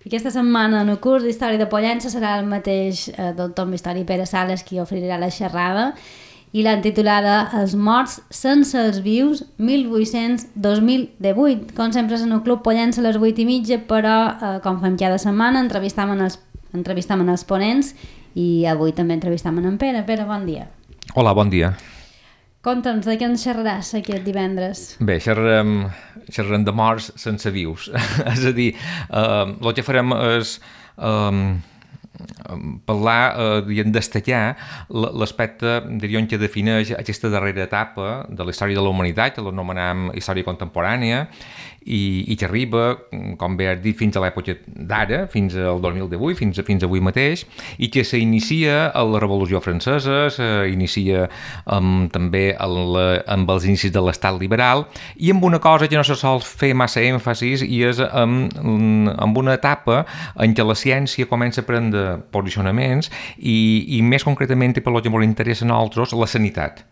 Aquesta setmana en el curs d'Història de Pollença serà el mateix doctor en Història Pere Sales qui oferirà la xerrada i l'han titulada Els morts sense els vius 1800-2018. Com sempre és en el Club Pollença a les 8:30, però com fem cada setmana entrevistam els ponents i avui també entrevistam en Pere. Pere, bon dia. Hola, bon dia. Conta'ns, de què ens xerraràs aquest divendres? Bé, xerrarem de morts sense vius. És a dir, el que farem és parlar, destacar l'aspecte, diríem, que defineix aquesta darrera etapa de la història de la humanitat, que l'anomenem història contemporània, i que arriba, com bé has dit, fins a l'època d'ara, fins al 2018, fins avui mateix, i que s'inicia a la Revolució Francesa, s'inicia també amb els inicis de l'estat liberal, i amb una cosa que no se sol fer massa èmfasis, i és amb una etapa en què la ciència comença a prendre posicionaments i més concretament, i per el que ens interessa a nosaltres, la sanitat.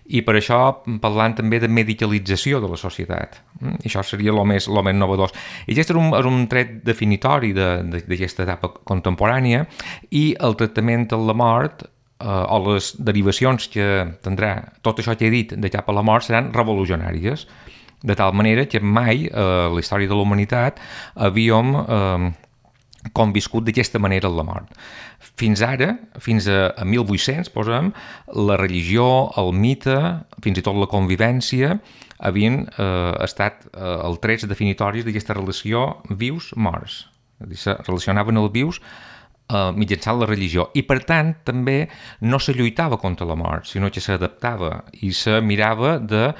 I per això parlant també de medicalització de la societat. I això seria el més novedós. I aquest és un tret definitori d'aquesta etapa contemporània, i el tractament de la mort o les derivacions que tindrà tot això que he dit de cap a la mort seran revolucionàries, de tal manera que mai a la història de la humanitat havíem conviscut d'aquesta manera la mort. Fins ara, fins a 1800, posem, la religió, el mite, fins i tot la convivència, havien estat els trets definitoris d'aquesta relació vius-morts. És a dir, se relacionaven els vius mitjançant la religió. I, per tant, també no se lluitava contra la mort, sinó que s'adaptava i se mirava de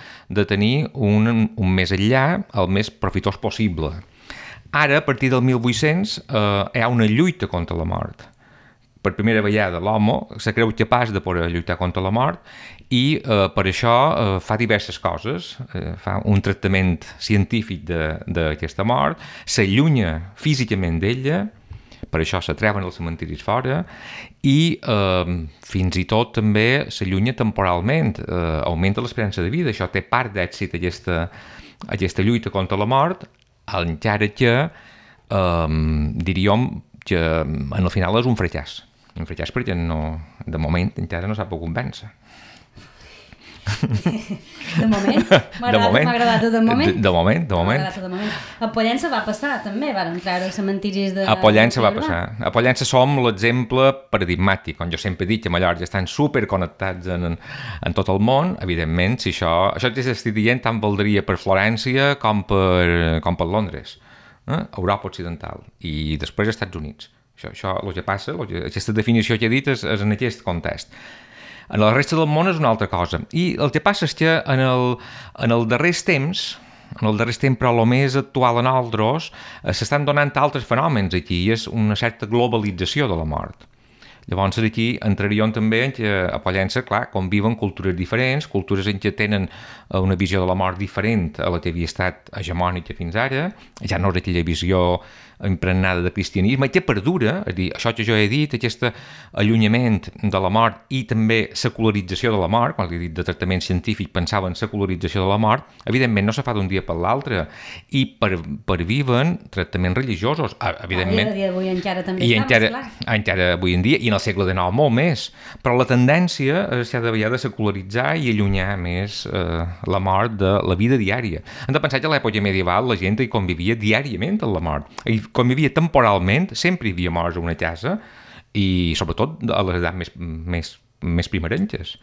tenir un més enllà, el més profitós possible. Ara, a partir del 1800, hi ha una lluita contra la mort. Per primera vegada l'home se creu capaç de poder lluitar contra la mort i per això fa diverses coses. Fa un tractament científic d'aquesta mort, s'allunya físicament d'ella, per això s'atreuen els cementiris fora, i fins i tot també s'allunya temporalment, augmenta l'esperança de vida. Això té part d'èxit, aquesta lluita contra la mort, encara que diríem que en el final és un fracàs perquè de moment encara no s'ha pogut vèncer. De moment? M'ha agradat tot el moment? De moment. A Pollença va passar també, van entrar els cementiris de... A Pollença va passar. A Pollença som l'exemple paradigmàtic, on jo sempre he dit que Mallorca estan superconnectats en tot el món. Evidentment, si això que estic dient tant valdria per Florència com per Londres, Europa Occidental, i després als Estats Units. Això el que passa, aquesta definició que he dit és en aquest context. En la resta del món és una altra cosa. I el que passa és que en el darrers temps, però el més actual en altres, s'estan donant altres fenòmens aquí, i és una certa globalització de la mort. Llavors aquí entraríem també en què a Pollença, clar, conviven cultures diferents, cultures en què tenen una visió de la mort diferent a la que havia estat hegemònica fins ara, ja no és aquella visió impregnada de cristianisme, que perdura, és a dir, això que jo he dit, aquest allunyament de la mort i també secularització de la mort, quan he dit de tractament científic pensava en secularització de la mort, evidentment no se fa d'un dia per l'altre, i perviven tractaments religiosos, evidentment. A dia d'avui encara també encara avui en dia, i en el segle XIX molt més, però la tendència s'ha de secularitzar i allunyar més la mort de la vida diària. Hem de pensar que a l'època medieval la gent hi convivia diàriament amb la mort, convivia temporalment, sempre hi havia morts a una casa, i sobretot a les edats més primerenques.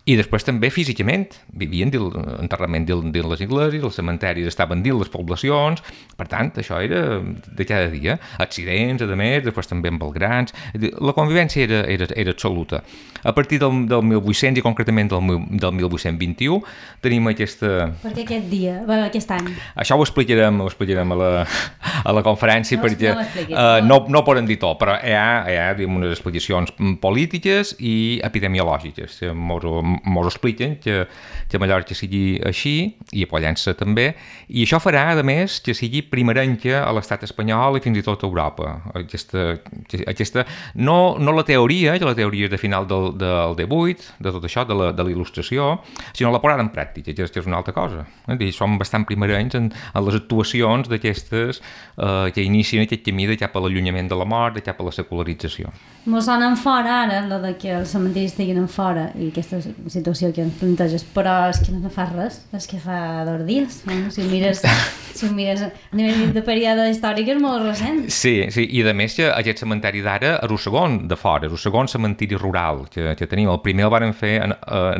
I després també físicament, vivien enterrament dins les iglesis, els cementaris estaven dins les poblacions, per tant, això era de cada dia. Accidents, a més, després també amb els grans. La convivència era absoluta. A partir del 1800 i concretament del 1821 tenim aquesta... Per què aquest dia, aquest any? Això ho explicarem a la conferència, perquè no podem dir tot, però hi ha unes explicacions polítiques i epidemiològiques. Mos ho expliquen que a Mallorca sigui així, i a Pollença també, i això farà, a més, que sigui primerenca a l'estat espanyol i fins i tot a Europa. Aquesta no la teoria, que la teoria és de final del 18, de tot això, de la il·lustració, sinó la posada en pràctica, que és una altra cosa. Som bastant primerencs en les actuacions d'aquestes que inicien aquest camí de cap a l'allunyament de la mort, de cap a la secularització. Mos sonen fora ara, lo de que els cementiris estiguin en fora i aquesta situació que ens planteges, però és que no fa res, és que fa 2 dies. Si ho mires a nivell de període històric és molt recent. Sí, i a més que aquest cementeri d'ara és el segon de fora, és el segon cementiri rural que tenim. El primer el van fer en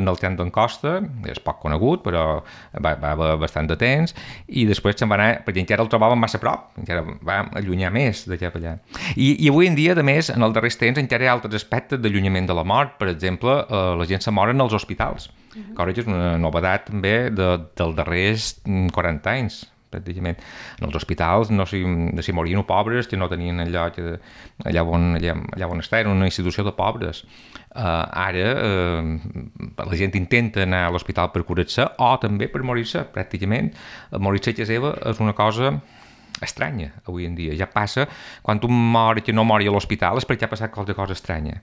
el tren d'en Costa, és poc conegut, però va haver bastant de temps, i després se'n va anar, perquè encara el trobàvem massa a prop, encara va allunyar més de cap allà. I avui en dia, a més, en els darrers temps encara hi ha altres aspectes d'allunyament de la mort. Per exemple, la gent se mor en els hospitals, que és una novetat també dels darrers 40 anys, pràcticament. En els hospitals no s'hi morien pobres, que no tenien allà on estar, era una institució de pobres. Ara la gent intenta anar a l'hospital per curar-se o també per morir-se, pràcticament. Morir-se a casa seva és una cosa estranya avui en dia. Ja passa, quan un mor que no mori a l'hospital és perquè ha passat qualque cosa estranya,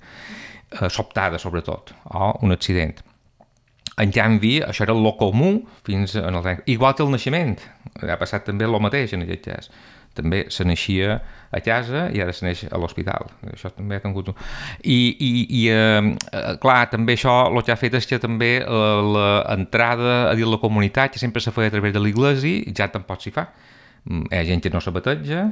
sobtada sobretot, o un accident. En canvi, això era el comú fins en el temps. Igual que el naixement, ha passat també el mateix en aquest cas. També se naixia a casa i ara se neix a l'hospital. Això també ha tingut... clar, també això el que ha fet és que també l'entrada a dins la comunitat, que sempre se feia a través de l'església, ja tampoc s'hi fa. Hi ha gent que no s'abateja,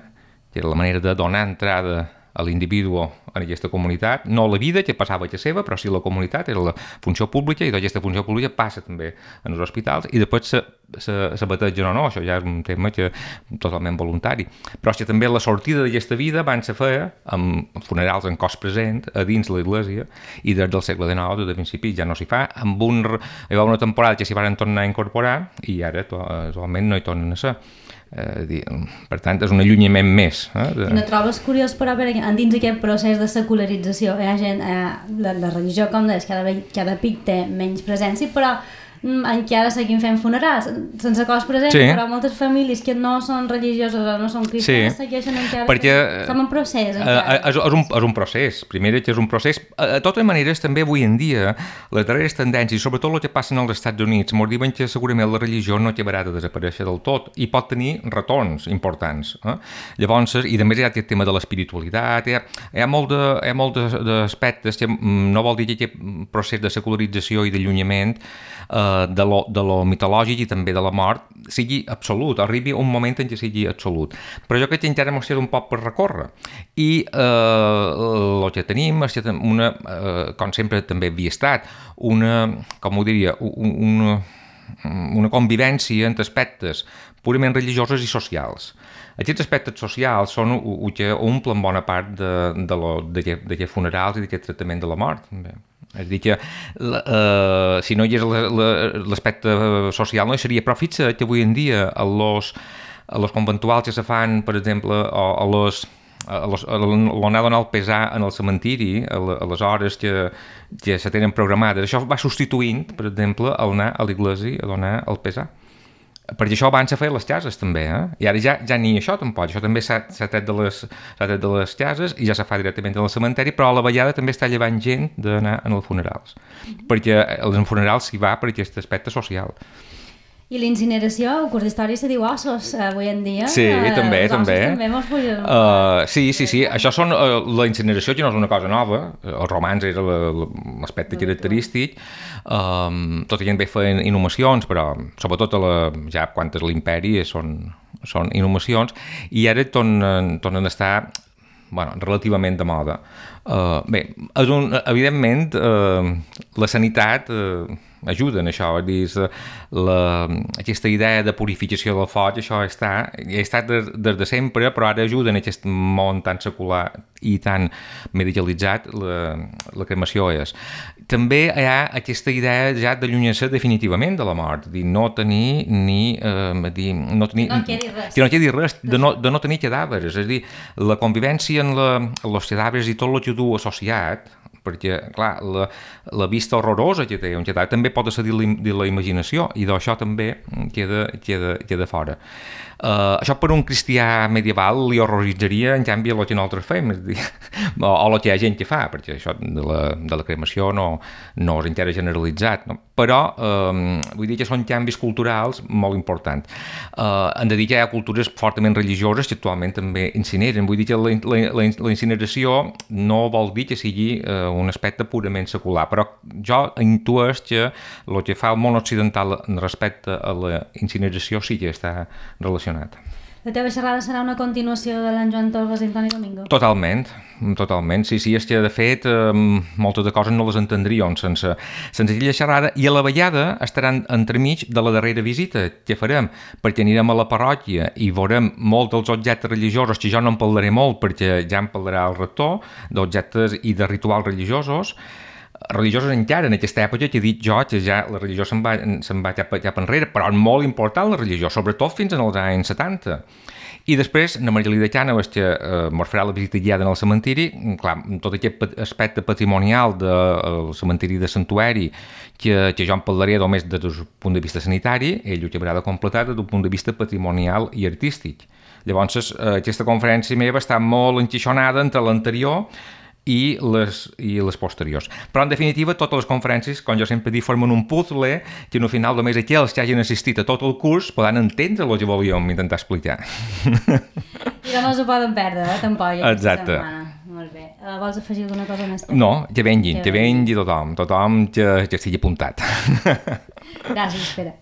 que era la manera de donar entrada a l'individu en aquesta comunitat, no la vida que passava a casa seva, però sí la comunitat, era la funció pública, i aquesta funció pública passa també en els hospitals, i després s'abategen o no, això ja és un tema totalment voluntari. Però és que també la sortida d'aquesta vida abans se feia amb funerals en cos present a dins l'església, i des del segle XIX, des de principi, ja no s'hi fa. Hi va una temporada que s'hi van tornar a incorporar, i ara actualment no hi tornen a ser. Per tant, és un allunyament més. No trobes curiós, però, dins aquest procés de secularització hi ha gent, la religió, com deies, cada pic té menys presència, però encara seguim fent funerals sense cos present, sí. Però moltes famílies que no són religioses o no són cristianes segueixen encara, perquè estem en procés encara. És un procés, primer que és un procés. De totes maneres, també avui en dia les darreres tendències, sobretot el que passa als Estats Units, ens diuen que segurament la religió no acabarà de desaparèixer del tot i pot tenir retorns importants. Llavors, i també hi ha aquest tema de l'espiritualitat, hi ha molt d'aspectes que no vol dir que aquest procés de secularització i d'allunyament de lo mitològic i també de la mort sigui absolut, arribi un moment en què sigui absolut. Però jo crec que encara ens queda un poc per recórrer. I el que tenim és com sempre també havia estat, una convivència entre aspectes purament religiosos i socials. Aquests aspectes socials són el que omplen bona part d'aquests funerals i d'aquest tractament de la mort. És a dir que si no hi és l'aspecte social no hi seria, però fixa't que avui en dia a los conventuals que se fan, per exemple, l'anar a donar el pesar en el cementiri, a les hores que se tenen programades, això va substituint, per exemple, anar a l'església a donar el pesar. Perquè això abans s'ha fet a les cases també, i ara ja ni això tampoc, això també s'ha tret de les cases i ja se fa directament en el cementeri, però a la vegada també està llevant gent d'anar als funerals, perquè als funerals s'hi va per aquest aspecte social. I l'incineració, el curs d'història se diu ossos avui en dia. Sí, també. Sí, això són la incineració, que no és una cosa nova, els romans era l'aspecte característic, tot i que també feien inhumacions, però sobretot ja quan és l'imperi són inhumacions, i ara tornen a estar relativament de moda. Bé, evidentment la sanitat ajuda en això, aquesta idea de purificació del foc, això ha estat des de sempre, però ara ajuda en aquest món tan secular i tan medicalitzat, la cremació és. També hi ha aquesta idea ja d'allunyar-se definitivament de la mort, de no tenir quedi res, de no tenir cadàvers, és a dir, la convivència en els cadàvers i tot el que du associat, perquè, clar, la vista horrorosa que té un xatar també pot ser de la imaginació, i d'això també queda fora. Això per un cristià medieval li horroritzaria, en canvi, el que nosaltres fem, és dir, o el que hi ha gent que fa, perquè això de la cremació no és encara generalitzat, no? Però vull dir que són canvis culturals molt importants. Hem de dir que hi ha cultures fortament religioses que actualment també incineren. Vull dir que la incineració no vol dir que sigui un aspecte purament secular, però jo intueix que el que fa el món occidental respecte a la incineració sí que està relacionat. La teva xerrada serà una continuació de l'en Joan Torres i Antoni Domingo? Totalment. Sí, és que de fet moltes de coses no les entendríem sense aquella xerrada, i a la vegada estaran entremig de la darrera visita que farem, perquè anirem a la parròquia i veurem molts dels objectes religiosos, que jo no en parlaré molt perquè ja en parlarà el rector, d'objectes i de rituals religiosos encara en aquesta època, que he dit jo que ja la religió se'n va cap enrere, però és molt important la religió, sobretot fins als anys 70. I després, la Margalida Cànovas, que mos farà la visita guiada en el cementiri, clar, tot aquest aspecte patrimonial del cementiri de Santuari, que jo en parlaré només des del punt de vista sanitari, ell ho acabarà de completar des del punt de vista patrimonial i artístic. Llavors, aquesta conferència meva està molt enquixonada entre l'anterior i les posteriors. Però, en definitiva, totes les conferències, com jo sempre dic, formen un puzzle que, al final, només aquells que hagin assistit a tot el curs poden entendre el que volíem intentar explicar. I no s'ho poden perdre, tampoc. Exacte. Molt bé. Vols afegir alguna cosa més? No, que vengui tothom que estigui apuntat. Gràcies, Pere.